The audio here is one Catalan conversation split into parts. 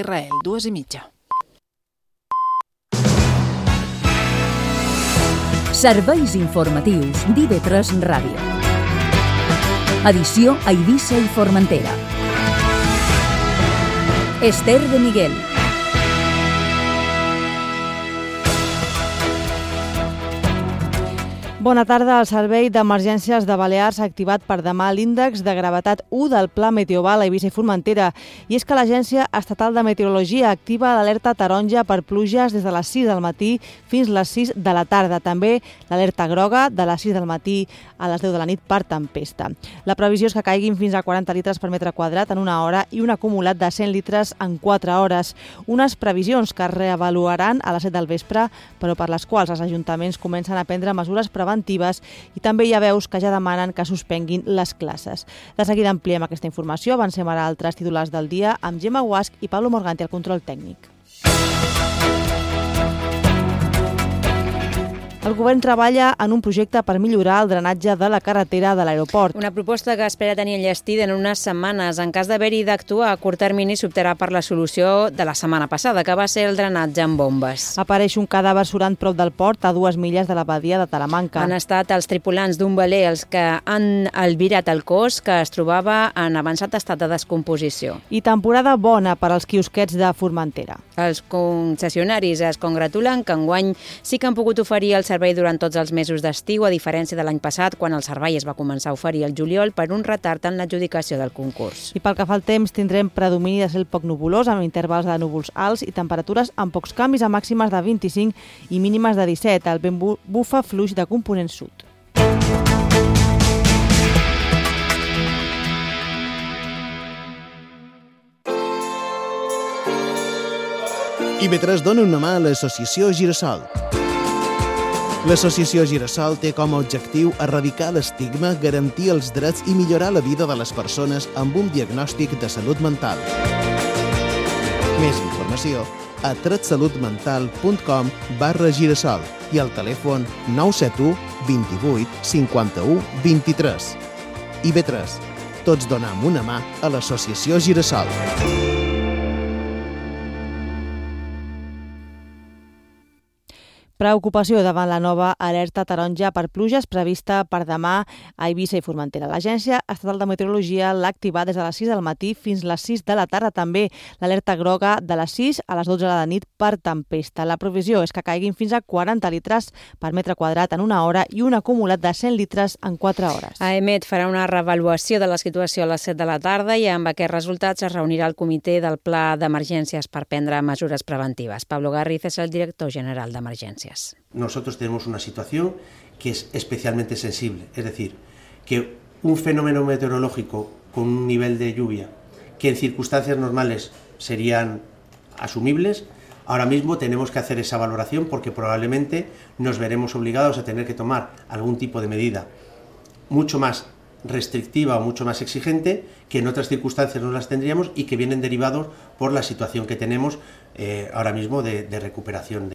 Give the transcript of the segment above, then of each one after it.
Israel, 2:30. Serveis informatius d'IV3 Ràdio. Edició a Eivissa i Formentera. Esther de Miguel. Bona tarda. El Servei d'Emergències de Balears ha activat per demà l'índex de gravetat 1 del Pla Meteoval a Eivissa i Formentera. I és que l'Agència Estatal de Meteorologia activa l'alerta taronja per pluges des de les 6 del matí fins les 6 de la tarda. També l'alerta groga de les 6 del matí a les 10 de la nit per tempesta. La previsió és que caiguin fins a 40 litres per metre quadrat en una hora i un acumulat de 100 litres en 4 hores. Unes previsions que es reavaluaran a les 7 del vespre, però per les quals els ajuntaments comencen a prendre mesures preventives i també hi ha veus que ja demanen que suspenguin les classes. De seguida ampliem aquesta informació. Avancem ara a altres titulars del dia amb Gemma Guasch i Pablo Morganti al control tècnic. El govern treballa en un projecte per millorar el drenatge de la carretera de l'aeroport. Una proposta que espera tenir enllestida en unes setmanes. En cas d'haver-hi d'actuar a curt termini, s'optarà per la solució de la setmana passada, que va ser el drenatge amb bombes. Apareix un cadàver surant prop del port a 2 milles de la badia de Talamanca. Han estat els tripulants d'un veler els que han albirat el cos, que es trobava en avançat estat de descomposició. I temporada bona per als quiosquets de Formentera. Els concessionaris es congratulen que enguany sí que han pogut oferir el servei durant tots els mesos d'estiu, a diferència de l'any passat, quan el servei es va començar a oferir al juliol per un retard en l'adjudicació del concurs. I pel que fa al temps, tindrem predomini de cel poc nuvolós, amb intervals de núvols alts i temperatures amb pocs canvis, a màximes de 25 i mínimes de 17. El vent bufa fluix de component sud. IV3 dona una mà a l'associació Girassol. L'associació Girassol té com a objectiu erradicar l'estigma, garantir els drets i millorar la vida de les persones amb un diagnòstic de salut mental. Més informació a tretsalutmental.com/Girassol i al telèfon 971 28 51 23. IV3. Tots donem una mà a l'associació Girassol. Preocupació davant la nova alerta taronja per pluges prevista per demà a Eivissa i Formentera. L'Agència Estatal de Meteorologia l'ha activat des de les 6 del matí fins les 6 de la tarda. També l'alerta groga de les 6 a les 12 de la nit per tempesta. La previsió és que caiguin fins a 40 litres per metre quadrat en una hora i un acumulat de 100 litres en 4 hores. AEMET farà una reavaluació de la situació a les 7 de la tarda i amb aquests resultats es reunirà el comitè del Pla d'Emergències per prendre mesures preventives. Pablo Garriz és el director general d'Emergències. Nosotros tenemos una situación que es especialmente sensible, es decir, que un fenómeno meteorológico con un nivel de lluvia que en circunstancias normales serían asumibles, ahora mismo tenemos que hacer esa valoración porque probablemente nos veremos obligados a tener que tomar algún tipo de medida mucho más restrictiva o mucho más exigente que en otras circunstancias no las tendríamos y que vienen derivados por la situación que tenemos ahora mismo de recuperación.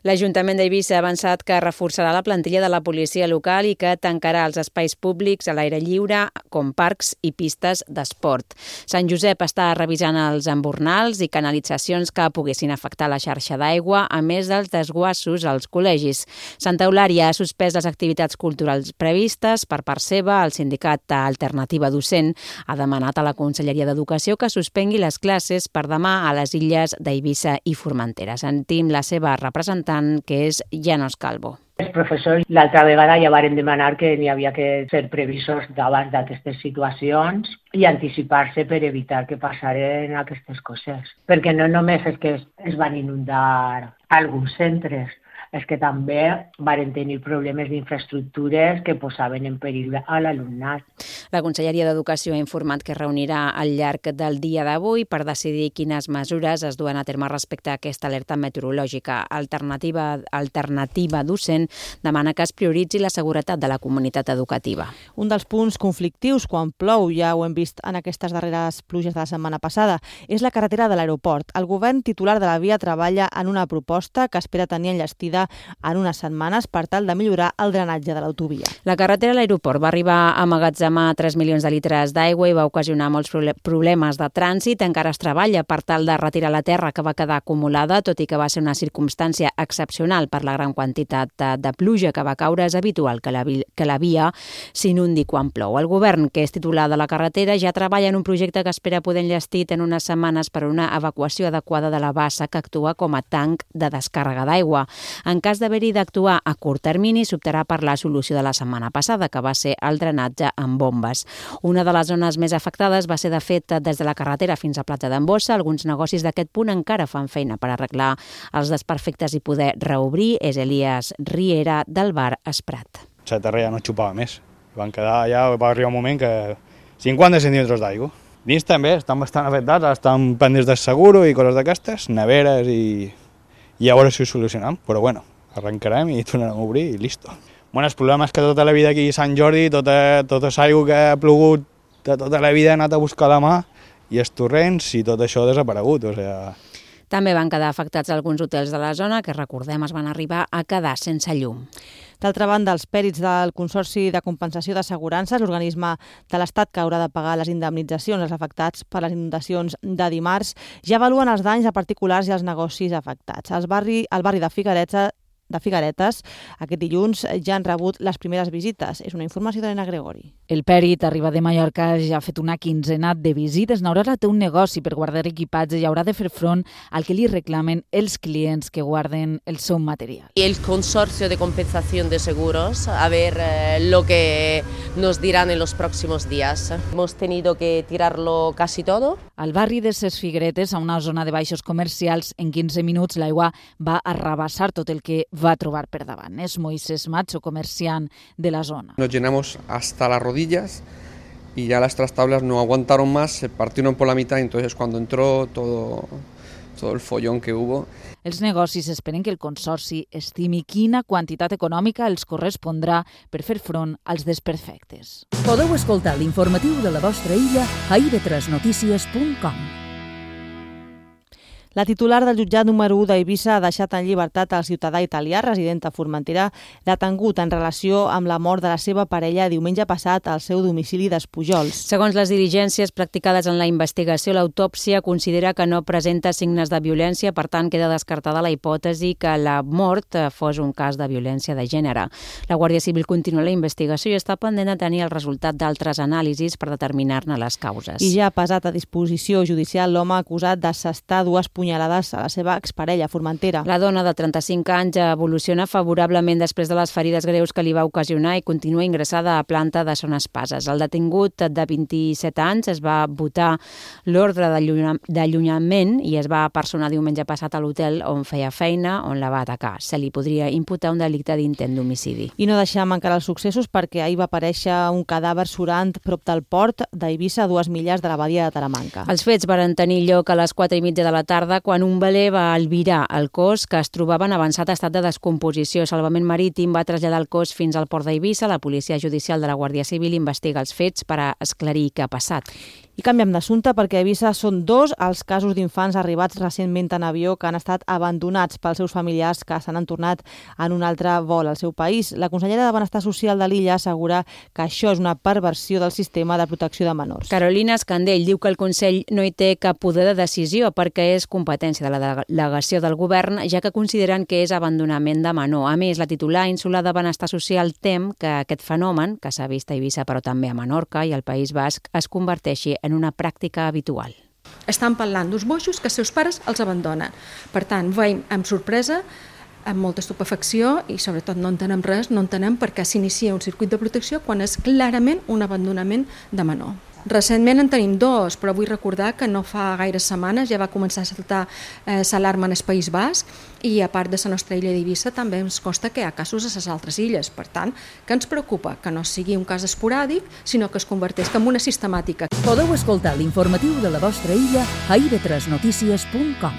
L'Ajuntament d'Eivissa ha avançat que reforçarà la plantilla de la policia local i que tancarà els espais públics a l'aire lliure, com parcs i pistes d'esport. Sant Josep està revisant els embornals i canalitzacions que poguessin afectar la xarxa d'aigua, a més dels desguassos als col·legis. Santa Eulària ha suspès les activitats culturals previstes. Per part seva, el sindicat Alternativa Docent ha demanat a la Conselleria d'Educació que suspengui les classes per demà a les illes d'Eivissa i Formentera. Sentim la seva representant, que és Llanos Calvo. Els professors l'altra vegada ja varen demanar que n'hi havia que ser previsors davant d'aquestes situacions i anticipar-se per evitar que passaren aquestes coses. Perquè no només és que es van inundar alguns centres, és que també varen tenir problemes d'infraestructures que posaven en perill a l'alumnat. La Conselleria d'Educació ha informat que es reunirà al llarg del dia d'avui per decidir quines mesures es duen a terme respecte a aquesta alerta meteorològica. Alternativa Docent demana que es prioritzi la seguretat de la comunitat educativa. Un dels punts conflictius quan plou, ja ho hem vist en aquestes darreres pluges de la setmana passada, és la carretera de l'aeroport. El govern titular de la via treballa en una proposta que espera tenir enllestida Formentera en unes setmanes per tal de millorar el drenatge de l'autovia. La carretera a l'aeroport va arribar a emmagatzemar 3 milions de litres d'aigua i va ocasionar molts problemes de trànsit. Encara es treballa per tal de retirar la terra que va quedar acumulada, tot i que va ser una circumstància excepcional per la gran quantitat de pluja que va caure. És habitual que la via s'inundi quan plou. El govern, que és titular de la carretera, ja treballa en un projecte que espera poder enllestir en unes setmanes per a una evacuació adequada de la bassa que actua com a tanc de descàrrega d'aigua. En cas d'haver-hi d'actuar a curt termini, s'optarà per la solució de la setmana passada, que va ser el drenatge amb bombes. Una de les zones més afectades va ser, de fet, des de la carretera fins a Platja d'Embossa. Alguns negocis d'aquest punt encara fan feina per arreglar els desperfectes i poder reobrir. És Elias Riera, del bar Esprat. La terra ja no xupava més. Va arribar un moment que 50 centímetres d'aigua. Dins també estan bastant afectats, estan pendents del seguro i coses d'aquestes, neveres i a veure si ho solucionem. Però bueno, arrencarem i tornarem a obrir i listo. Bueno, el problema és que tota la vida aquí a Sant Jordi, tota l'aigua que ha plogut de tota la vida ha anat a buscar la mà i els torrents i tot això ha desaparegut. També van quedar afectats alguns hotels de la zona que, recordem, es van arribar a quedar sense llum. D'altra banda, els pèrits del Consorci de Compensació d'Assegurances, l'organisme de l'Estat que haurà de pagar les indemnitzacions als afectats per les inundacions de dimarts, ja avaluen els danys a particulars i als negocis afectats. El barri de Figueretes, aquest dilluns ja han rebut les primeres visites. És una informació d'Helena Gregori. El pèrit arriba de Mallorca, ja ha fet una quinzena de visites. N'haurà té un negoci per guardar equipatge i haurà de fer front al que li reclamen els clients que guarden el seu material. Y el Consorcio de Compensación de Seguros, a ver lo que nos dirán en los próximos días. Hemos tenido que tirarlo casi todo. Al barri de Ses Figueretes, a una zona de baixos comercials, en 15 minuts l'aigua va arrabassar tot el que va trobar per davant. És Moisés Macho, comerciant de la zona. Nos llenamos hasta las rodillas y ya las trastablas no aguantaron más, se partieron por la mitad, entonces cuando entró todo el follón que hubo. Els negocis esperen que el Consorci estimi quina quantitat econòmica els correspondrà per fer front als desperfectes. Podeu escoltar l'informatiu de la vostra illa a ib3notícies.com. La titular del jutjat número 1 d'Eivissa ha deixat en llibertat el ciutadà italià resident a Formentera detengut en relació amb la mort de la seva parella diumenge passat al seu domicili d'Espujols. Segons les diligències practicades en la investigació, l'autòpsia considera que no presenta signes de violència, per tant queda descartada la hipòtesi que la mort fos un cas de violència de gènere. La Guàrdia Civil continua la investigació i està pendent de tenir el resultat d'altres anàlisis per determinar-ne les causes. I ja ha passat a disposició judicial l'home acusat d'assestar dues punyalades a la seva exparella a Formentera. La dona de 35 anys evoluciona favorablement després de les ferides greus que li va ocasionar i continua ingressada a planta de Son Espases. El detingut de 27 anys es va votar l'ordre d'allunyament i es va personar diumenge passat a l'hotel on feia feina, on la va atacar. Se li podria imputar un delicte d'intent d'homicidi. I no deixem encara els successos perquè ahir va aparèixer un cadàver surant prop del port d'Eivissa, a 2 milles de la badia de Talamanca. Els fets van tenir lloc a les 4:30 de la tarda quan un veler va albirar el cos que es trobava en avançat estat de descomposició. Salvament Marítim va traslladar el cos fins al port d'Eivissa. La Policia Judicial de la Guàrdia Civil investiga els fets per a esclarir què ha passat. I canviem d'assumpte perquè a Eivissa són 2 els casos d'infants arribats recentment en avió que han estat abandonats pels seus familiars que se n'han tornat en un altre vol al seu país. La consellera de Benestar Social de l'illa assegura que això és una perversió del sistema de protecció de menors. Carolina Escandell diu que el Consell no hi té cap poder de decisió perquè és competència de la delegació del govern, ja que consideren que és abandonament de menor. A més, la titular insular de Benestar Social tem que aquest fenomen, que s'ha vist a Eivissa però també a Menorca i al País Basc, es converteixi en una pràctica habitual. Estan parlant d'uns boixos que els seus pares els abandonen. Per tant, veiem amb sorpresa, amb molta estupefacció i sobretot no entenem res, no entenem per què s'inicia un circuit de protecció quan és clarament un abandonament de menor. Recentment en tenim 2, però vull recordar que no fa gaires setmanes ja va començar a saltar l'alarma en el País Basc i a part de la nostra illa d'Eivissa també ens consta que hi ha casos a les altres illes. Per tant, que ens preocupa que no sigui un cas esporàdic, sinó que es converteix en una sistemàtica. Podeu escoltar l'informatiu de la vostra illa a ib3notícies.com.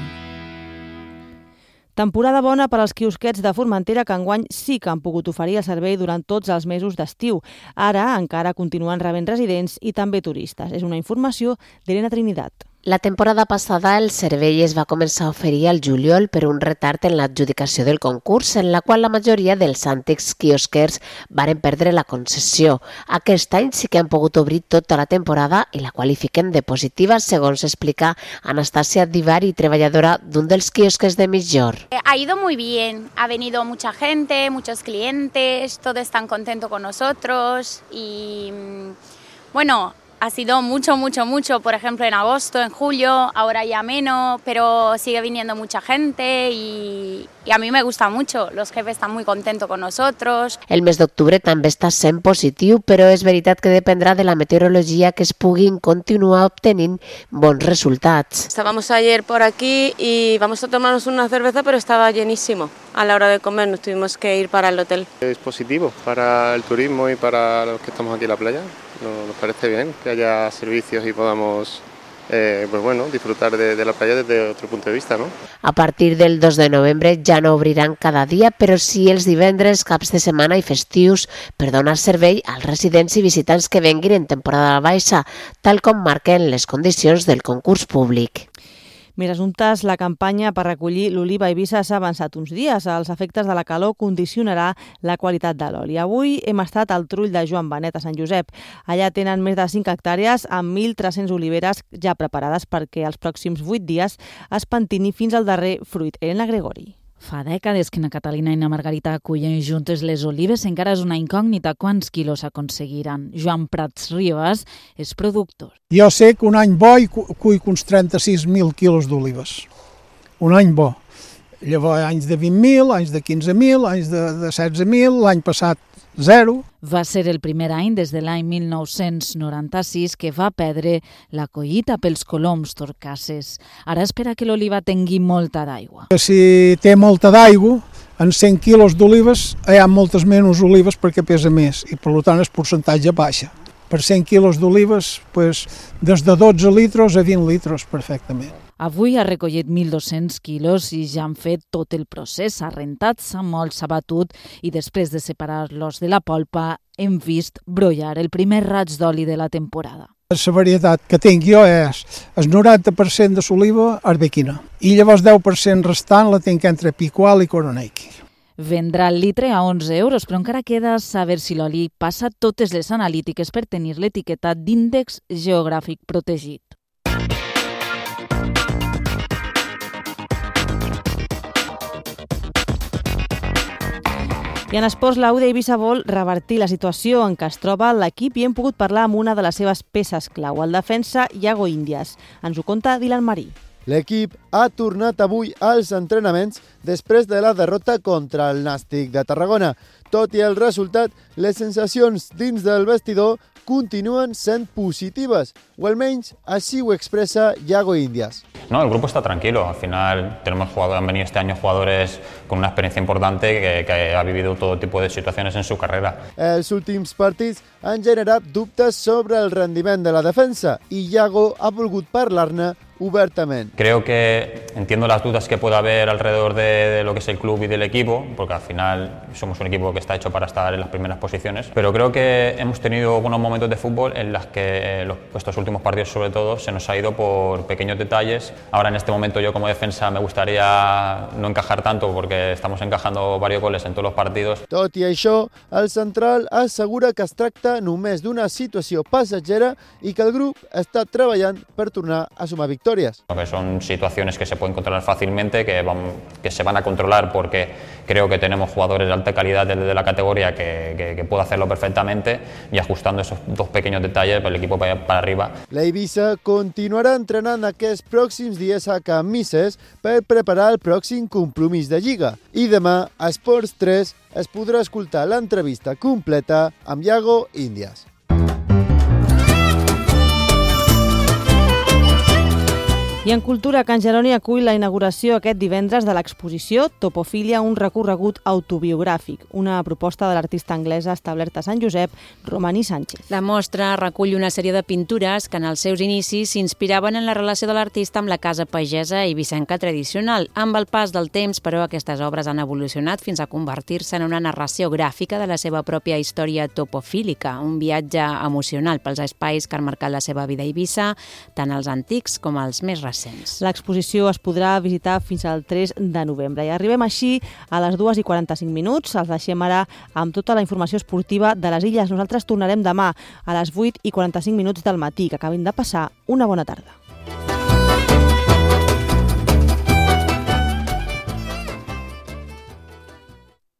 Temporada bona per als quiosquets de Formentera que enguany sí que han pogut oferir el servei durant tots els mesos d'estiu. Ara encara continuen rebent residents i també turistes. És una informació d'Helena Trinidad. La temporada passada el servei es va començar a oferir al juliol per un retard en l'adjudicació del concurs, en la qual la majoria dels antics quiosquers varen perdre la concessió. Aquest any sí que han pogut obrir tota la temporada i la qualifiquen de positiva, segons explica Anastasia Divari, treballadora d'un dels quiosques de Migjorn. Ha ido muy bien, ha venido mucha gente, muchos clientes, todos están contentos con nosotros y bueno, ha sido mucho, por ejemplo en agosto, en julio, ahora ya menos, pero sigue viniendo mucha gente y a mí me gusta mucho, los jefes están muy contentos con nosotros. El mes d'octubre també està sent positiu, però és veritat que dependrà de la meteorologia que es puguin continuar obtenint bons resultats. Estábamos ayer por aquí y vamos a tomarnos una cerveza, pero estaba llenísimo. A la hora de comer nos tuvimos que ir para el hotel. Es positivo para el turismo y para los que estamos aquí en la playa. Nos parece bien que haya servicios y podamos disfrutar de la playa desde otro punto de vista, ¿no? A partir del 2 de novembre ja no obriran cada dia, però sí els divendres, caps de setmana i festius per donar servei als residents i visitants que venguin en temporada baixa, tal com marquen les condicions del concurs públic. Més assumptes, la campanya per recollir l'oliva a Eivissa s'ha avançat uns dies. Els efectes de la calor condicionarà la qualitat de l'oli. Avui hem estat al trull de Joan Benet, a Sant Josep. Allà tenen més de 5 hectàrees amb 1.300 oliveres ja preparades perquè els pròxims 8 dies es pentini fins al darrer fruit. Elena Gregori. Fa dècades que na Catalina i na Margarita acullen juntes les olives, encara és una incògnita quants quilos aconseguiran. Joan Prats Ribas és productor. Jo sé que un any bo hi cuic uns 36.000 quilos d'olives. Un any bo. Llavors, anys de 20.000, anys de 15.000, anys de 16.000, l'any passat 0. Va ser el primer any des de l'any 1996 que va perdre la collita pels coloms torcasses. Ara espera que l'oliva tingui molta d'aigua. Si té molta d'aigua, en 100 quilos d'olives hi ha moltes menys olives perquè pesa més i per tant el percentatge baixa. Per 100 quilos d'olives, des de 12 litros a 20 litros perfectament. Avui ha recollit 1.200 quilos i ja han fet tot el procés. S'ha rentat, s'ha molt, s'ha batut i després de separar-los de la polpa hem vist brollar el primer raig d'oli de la temporada. La varietat que tinc jo és el 90% de l'oliva arbequina i llavors 10% restant la tinc entre picual i coronaiqui. Vendrà el litre a 11 euros, però encara queda saber si l'oli passa totes les analítiques per tenir l'etiqueta d'índex geogràfic protegit. I en esports, la U d'Eivissa vol revertir la situació en què es troba l'equip i hem pogut parlar amb una de les seves peces clau, el defensa Iago Índias. Ens ho conta Dylan Marí. L'equip ha tornat avui als entrenaments després de la derrota contra el Nàstic de Tarragona. Tot i el resultat, les sensacions dins del vestidor continúan sent positives, o almenys así ho expresa Iago Índias. No, el grupo está tranquilo. Al final han venido este año jugadores con una experiencia importante que ha vivido todo tipo de situaciones en su carrera. Els últims partits han generat dubtes sobre el rendiment de la defensa i Iago ha volgut parlar-ne obertament. Creo que entiendo las dudas que pueda haber alrededor de lo que es el club y del equipo, porque al final somos un equipo que está hecho para estar en las primeras posiciones, pero creo que hemos tenido algunos momentos de fútbol en los que estos últimos partidos sobre todo se nos ha ido por pequeños detalles. Ahora en este momento yo como defensa me gustaría no encajar tanto porque estamos encajando varios goles en todos los partidos. Tot i això, el central assegura que es tracta només d'una situació passatgera i que el grup està treballant per tornar a sumar victòries. Que son situaciones que se pueden controlar fácilmente, que se van a controlar porque creo que tenemos jugadores de alta calidad desde la categoría que puede hacerlo perfectamente y ajustando esos dos pequeños detalles el equipo para arriba. L'Eivissa continuarà entrenant aquests pròxims dies a Can Misses per preparar el pròxim compromís de Lliga. I demà a Esports 3 es podrà escoltar l'entrevista completa amb Iago Índias. I en cultura, Can Jeroni acull la inauguració aquest divendres de l'exposició Topofília, un recorregut autobiogràfic, una proposta de l'artista anglesa establerta a Sant Josep, Romaní Sánchez. La mostra recull una sèrie de pintures que en els seus inicis s'inspiraven en la relació de l'artista amb la casa pagesa i vicenca tradicional. Amb el pas del temps, però, aquestes obres han evolucionat fins a convertir-se en una narració gràfica de la seva pròpia història topofílica, un viatge emocional pels espais que han marcat la seva vida a Eivissa, tant els antics com els més recents. L'exposició es podrà visitar fins al 3 de novembre. I arribem així a les 2:45. Els deixem ara amb tota la informació esportiva de les Illes. Nosaltres tornarem demà a les 8:45 del matí. Que acabin de passar una bona tarda.